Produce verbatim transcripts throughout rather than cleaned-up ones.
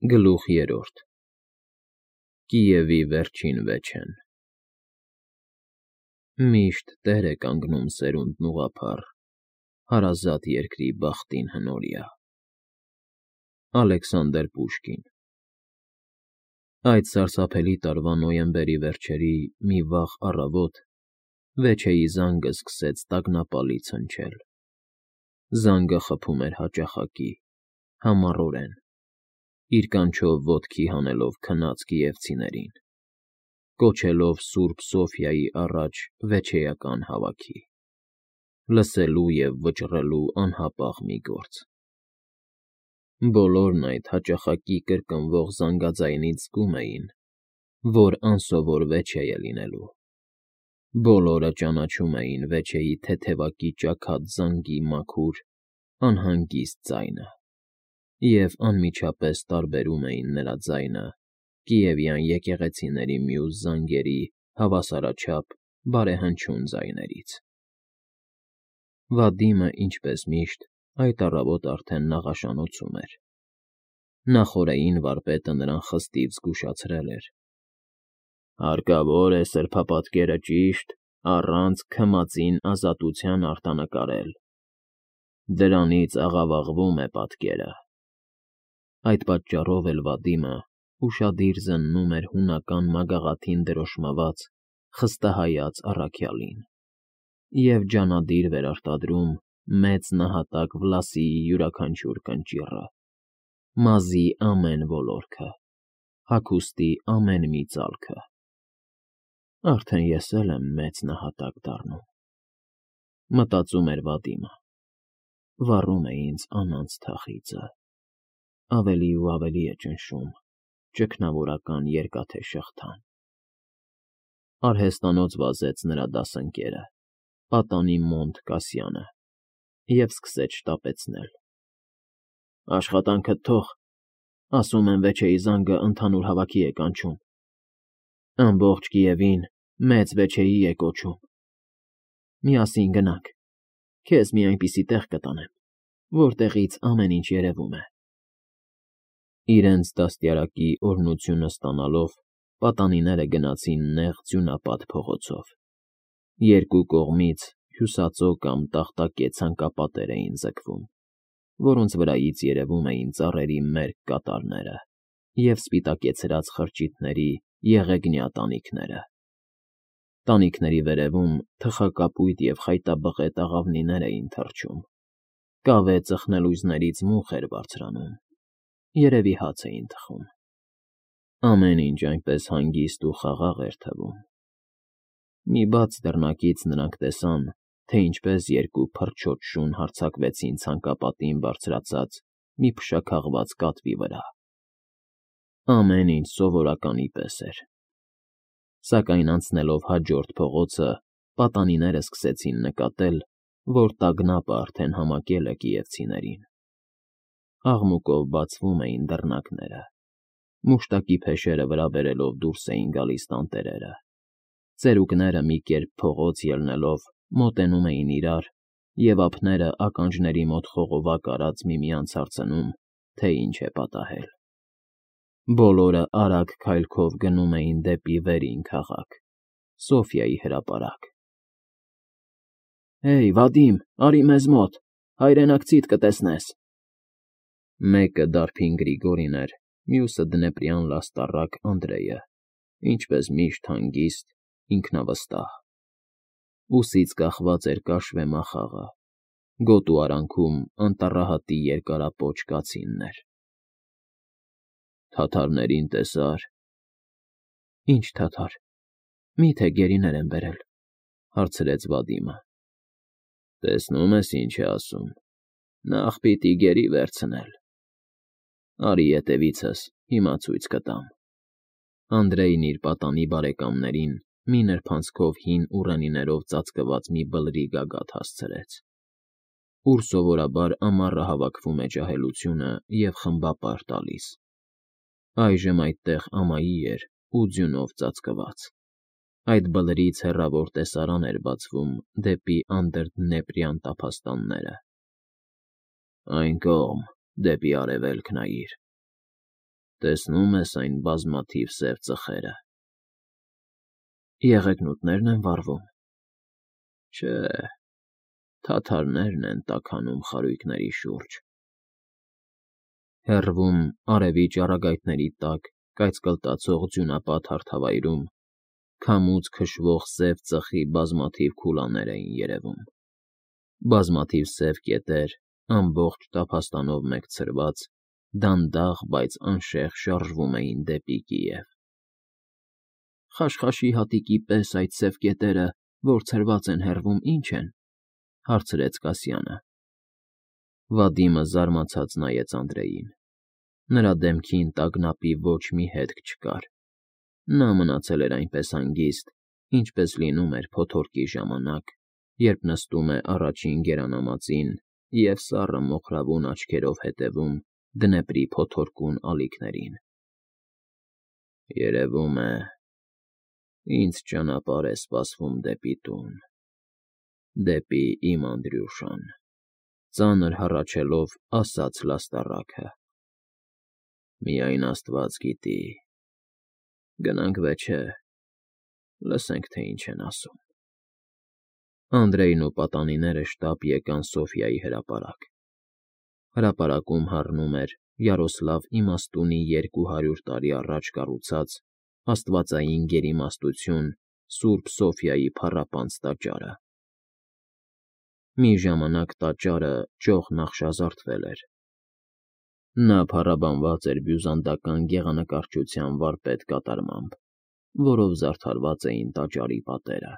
Գլուխ երրորդ Կիևի վերջին վեճեն Միշտ տեր է կանգնում սերունդն ուղղափառ, հարազատ երկրի բախտին հնորյա։ Ալեքսանդր Պուշկին Այդ սարսափելի տարվա նոյեմբերի վերջերի մի վաղ առավոտ Վեչեի զանգը սկսեց տագնապալից հնչել։ Զանգը խփում էր հաճախակի, համառորեն, իր կանչով ոտքի հանելով քնած կիևցիներին, կոչելով սուրբ Սոֆիայի առաջ վեչեական հավաքի, լսելու և վճռելու անհապաղ մի գործ։ Բոլորն այդ հաճախակի կրկնվող զանգաձայնից զգում էին, որ անսովոր վեճե է լինելու։ Բոլորը ճանաչում էին վեճեի թեթևակի ճաքած զանգի մաքուր, անհանգիստ ձայնը և անմիջապես տարբերում էին նրա ձայնը կիևյան եկեղեցիների մյուս զանգերի հավասարաչափ բարեհնչյուն ձայներից։ Վադիմը, ինչպես միշտ, այդ առավոտ արդեն նաղաշանոցում էր։ Նախօրեին վարպետը նրան խստիվ զգուշացրել էր. «Հարկավոր է սրբապատկերը ճիշտ, առանց քմածին ազատության արտանկարել, դրանից աղավաղվում է պատկերը»։ Այդ պատճառով էլ Վադիմը ուշադիր զննում էր հունական մագաղաթին դրոշմված, խստահայաց առաքյալին և ջանադիր վերարտադրում մեծ նահատակ Վլասիի յուրաքանչյուր կնճիռը, մազի ամեն ոլորքը, հագուստի ամեն մի ծալքը։ «Արդեն ես էլ եմ մեծ նահատակ դառնում,֊ մտածում էր Վադիմը,֊ վառում է ինձ անանց թախիծը, ավելի ու ավելի է ճնշում ճգնավորական երկաթե շղթան»։ Արհեստանոց վազեց նրա դասընկերը, պատանի Մոնտ Կասյանը, և սկսեց շտապեցնել. «Աշխատանքդ թող, ասում են վեճեի զանգը ընդհանուր հավաքի է կանչում, ամբողջ Կիևին մեծ վեճեի է կոչում։ Միասին գնանք, քեզ մի այնպիսի տեղ կտանեմ, որտեղից ամեն ինչ երևում է»։ Իրենց դաստիարակի օրհնությունը ստանալով, պատանիները գնացին նեղ ձյունապատ փողոցով։ Երկու կողմից հյուսածո կամ տախտակե ցանկապատեր էին ձգվում, որոնց վրայից երևում էին ծառերի մերկ կատարները և սպիտակեցրած խրճիթների եղեգնյա տանիքները։ Տանիքների վերևում թխակապույտ և խայտաբղետ աղավնիներ էին թռչում, կավե ծխնելույզներից մուխ էր բարձրանում, երևի հաց էին թխում։ Ամեն ինչ այնպես հանգիստ ու խաղաղ էր թվում։ Մի բաց դռնակից նրանք տեսան, թե ինչպես երկու փռչոտ շուն հարձակվեցին ցանկապատին բարձրացած մի փշաքաղված կատվի վրա։ Ամեն ինչ սովորականի պես էր։ Սակայն անցնելով հաջորդ փողոցը, պատանիները սկսեցին նկատել, որ տագնապը արդեն համակել է կիևցիներին։ Աղմուկով բացվում էին դռնակները, մուշտակի փեշերը վրա բերելով դուրս էին գալիս տանտերերը, ծերուկները մի կերպ փողոց ելնելով մոտենում էին իրար և ափները ականջների մոտ խողովակ արած միմյանց հարցնում, թե ինչ է պատահել։ Բոլորը արագ քայլքով գնում էին դեպի վերին քաղաք, Սոֆիայի հրապարակ։ «Հեյ, Վադիմ, արի մեզ մոտ, հայրենակցիդ կտեսնես»։ Մեկը դարբին Գրիգորին էր, մյուսը դնեպրյան լաստառակ Անդրեյը, ինչպես միշտ հանգիստ, ինքնավստահ։ Ուսից կախված էր կաշվե մախաղը, գոտու արանքում անտառահատի երկարապոչ կացիններ։ «Թաթարներին տեսա՞ր»։ «Ի՞նչ թաթար, մի՞թե գերիներ են բերել», հարցրեց Վադիմը։ «Տեսնում ես, ինչ է ասում, նախ պիտի գերի վերցնել։ Արի ետևիցս, հիմա ցույց կտամ»։ Անդրեյն իր պատանի բարեկամներին մի նրբանցքով հին ուռենիներով ծածկված մի բլրի գագաթ հասցրեց, ուր սովորաբար ամառը հավաքվում է ջահելությունը և խմբապար տալիս։ Այժմ այդտեղ ամայի էր ու ձյունով ծածկված։ Այդ բլրից հեռավոր տեսարան էր բացվում դեպի անդրդնեպրյան տափաստանները։ «Այն կողմ, դեպի արևելք նայիր, Տեսնում ես այն բազմաթիվ սև ծխերը։ Եղեգնուտներն են վառվում։ Չէ, թաթարներն են տաքանում խարույկների շուրջ։ Հեռվում արևի ճառագայթների տակ կայծկլտացող ձյունապատ հարթավայրում քամուց քշվող սև ծխի բազմաթիվ քուլաներ էին երևում։ Բազմաթիվ սև կետեր, ամբողջ տափաստանով մեկ ցրված, դանդաղ, բայց անշեղ շարժվում էին դեպի Կիև։ Խաշխաշի հատիկի պես այդ սև կետերը, որ ցրված են հեռվում, ի՞նչ են,֊ հարցրեց Կասյանը։ Վադիմը զարմացած նայեց Անդրեին։ Նրա դեմքին տագնապի ոչ մի հետք չկար։ Նա մնացել էր այնպես հանգիստ, ինչպես լինում էր փոթորկի ժամանակ, երբ նստում է առաջին գերանամածին և սառը մոխրավուն աչքերով հետևում Դնեպրի փոթորկուն ալիքներին։ Երևում է, ինձ ճանապարհ է սպասվում դեպի տուն, դեպի իմ Անդրյուշան,֊ ծանր հառաչելով ասաց լաստառակը։ Միայն աստված գիտի։ Գնանք, վեճե, լսենք, թե ինչ են ասում։ Անդրեյն ու պատանիները շտապ եկան Սոֆյայի հրապարակ։ Հրապարակում հառնում էր Յարոսլավ Իմաստունի երկու հարյուր տարի առաջ կառուցած աստվածային գերիմաստություն Սուրբ Սոֆյայի փառապանծ տաճարը։ Մի ժամանակ տաճարը ճոխ նախշազարդվել էր։ Նա փառաբանված էր բյուզանդական գեղանկարչության վարպետ կատարմամբ, որով զարդարված էին տաճարի պատերը։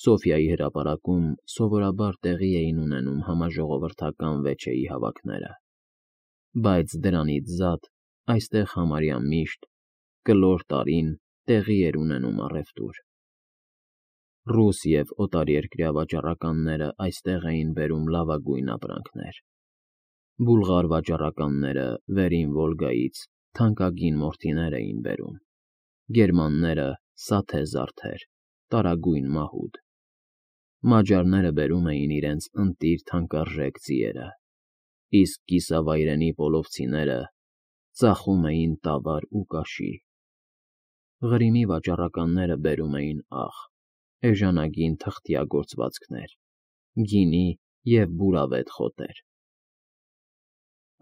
Սոֆյայի հրապարակում սովորաբար տեղի էին ունենում համաժողովրդական վեճերի հավաքները, բայց դրանից զատ այստեղ համարյա միշտ, կլոր տարին, տեղի էր ունենում առևտուր։ Ռուս և օտարերկրյա վաճառականները այստեղ էին բերում լավագույն ապրանքներ։ Բուլղար վաճառականները Վերին Վոլգայից թանկագին մորթիներ էին բերում, գերմանները՝ սաթե զարդեր, տարագույն մահուդ։ Մաջարները բերում էին իրենց ընտիր թանկարժեք ձիերը, իսկ կիսավայրենի պոլովցիները ծախում էին տավար ու կաշի։ Ղրիմի վաճառականները բերում էին աղ, էժանագին թղթյա գործվածքներ, գինի և բուրավետ խոտեր։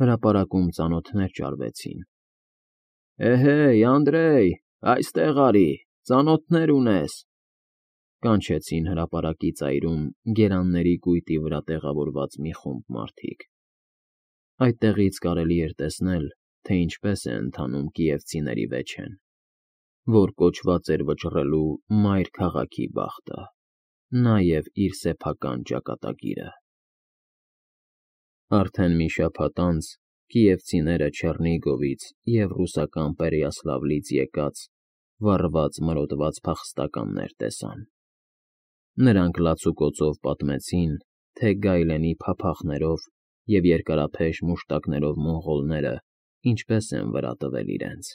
Հրապարակում ծանոթներ ճարվեցին։ Էհեյ, Անդրեյ, այստեղ արի, ծանոթներ ունես,֊ կանչեցին հրապարակի ծայրում գերանների կույտի վրա տեղավորված մի խումբ մարդիկ։ Այդտեղից կարելի էր տեսնել, թե ինչպես է ընթանում կիևցիների վեճեն, որ կոչված էր վճռելու մայր քաղաքի բախտը, նաև իր սեփական ճակատագիրը։ Արդեն մի շաբաթ անց կիևցիները Չեռնիգովից և ռուսական Պերեյասլավլից եկած, վառված մրոտված փախստականներ տեսան։ Նրանք լացուկոցով պատմեցին, թե գայլենի փափախներով և երկարափեշ մուշտակներով մոնղոլները ինչպես են վրա տվել իրենց,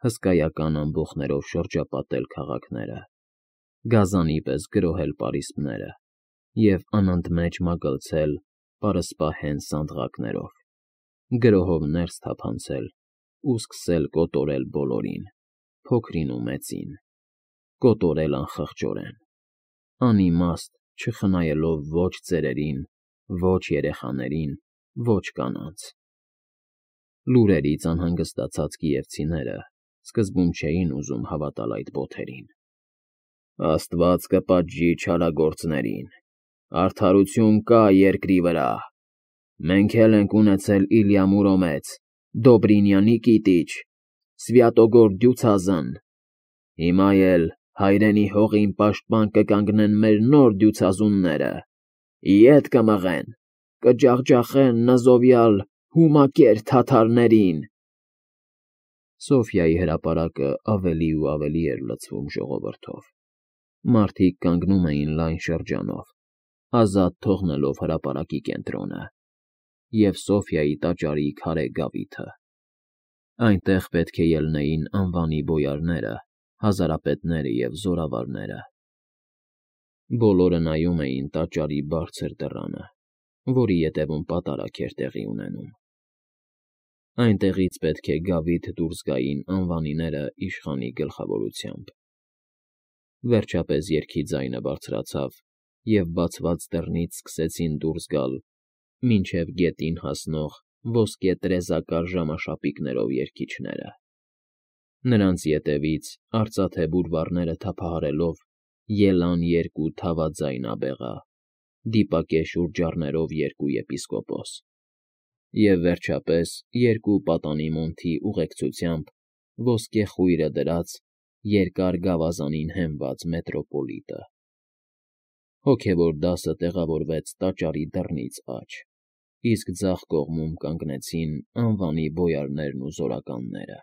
հսկայական ամբոխներով շրջապատել քաղաքները, գազանի պես գրոհել պարիսպները և անընդմեջ մագլցել պարսպահեն սանդղակներով, գրոհով ներս թափանցել ու սկսել կոտորել բոլորին, փոքրին ու մեծին, կոտորել անխղճորեն, անիմաստ չխնայելով ոչ ծերերին, ոչ երեխաներին, ոչ կանանց։ Լուրերից անհանգստացած կիևցիները սկզբում չէին ուզում հավատալ այդ բոթերին։ Աստված կպատժի չարագործներին, արդարություն կա երկրի վրա, մենք էլ ենք ունեցել Իլյա Մուրոմեց, Դոբրինյանի Նիկիտիչ, Սվյատոգոր Դյուցազն, հիմա էլ հայրենի հողին պաշտպան կկանգնեն մեր նոր դյուցազունները, ետ կմղեն, կջախջախեն նզովյալ հումակեր թաթարներին… Սոֆյայի հրապարակը ավելի ու ավելի էր լցվում ժողովրդով։ Մարդիկ կանգնում էին լայն շրջանով, ազատ թողնելով հրապարակի կենտրոնը և Սոֆյայի տաճարի քարե գավիթը։ Այնտեղ պետք է ելնեին անվանի բոյարները, հազարապետները և զորավարները։ Բոլորը նայում էին տաճարի բարձր դռանը, որի ետևում պատարագ էր տեղի ունենում։ Այնտեղից պետք է գավիթ դուրս գային անվանիները իշխանի գլխավորությամբ։ Վերջապես երգի ձայնը բարձրացավ, և բացված դռնից սկսեցին դուրս գալ մինչև գետին հասնող ոսկե տրեզակար ժամաշապիկներով երգիչները։ Նրանց ետևից, արծաթե բուրվառները թափահարելով, ելան երկու թավաձայն աբեղա, դիպակե շուրջառներով երկու եպիսկոպոս, և վերջապես երկու պատանի մոնթի ուղեկցությամբ ոսկե խույրը դրած, երկար գավազանին հենված մետրոպոլիտը։ Հոգևոր դասը տեղավորվեց տաճարի դռնից աջ, իսկ ձախ կողմում կանգնեցին անվանի բոյարներն ու զորականները։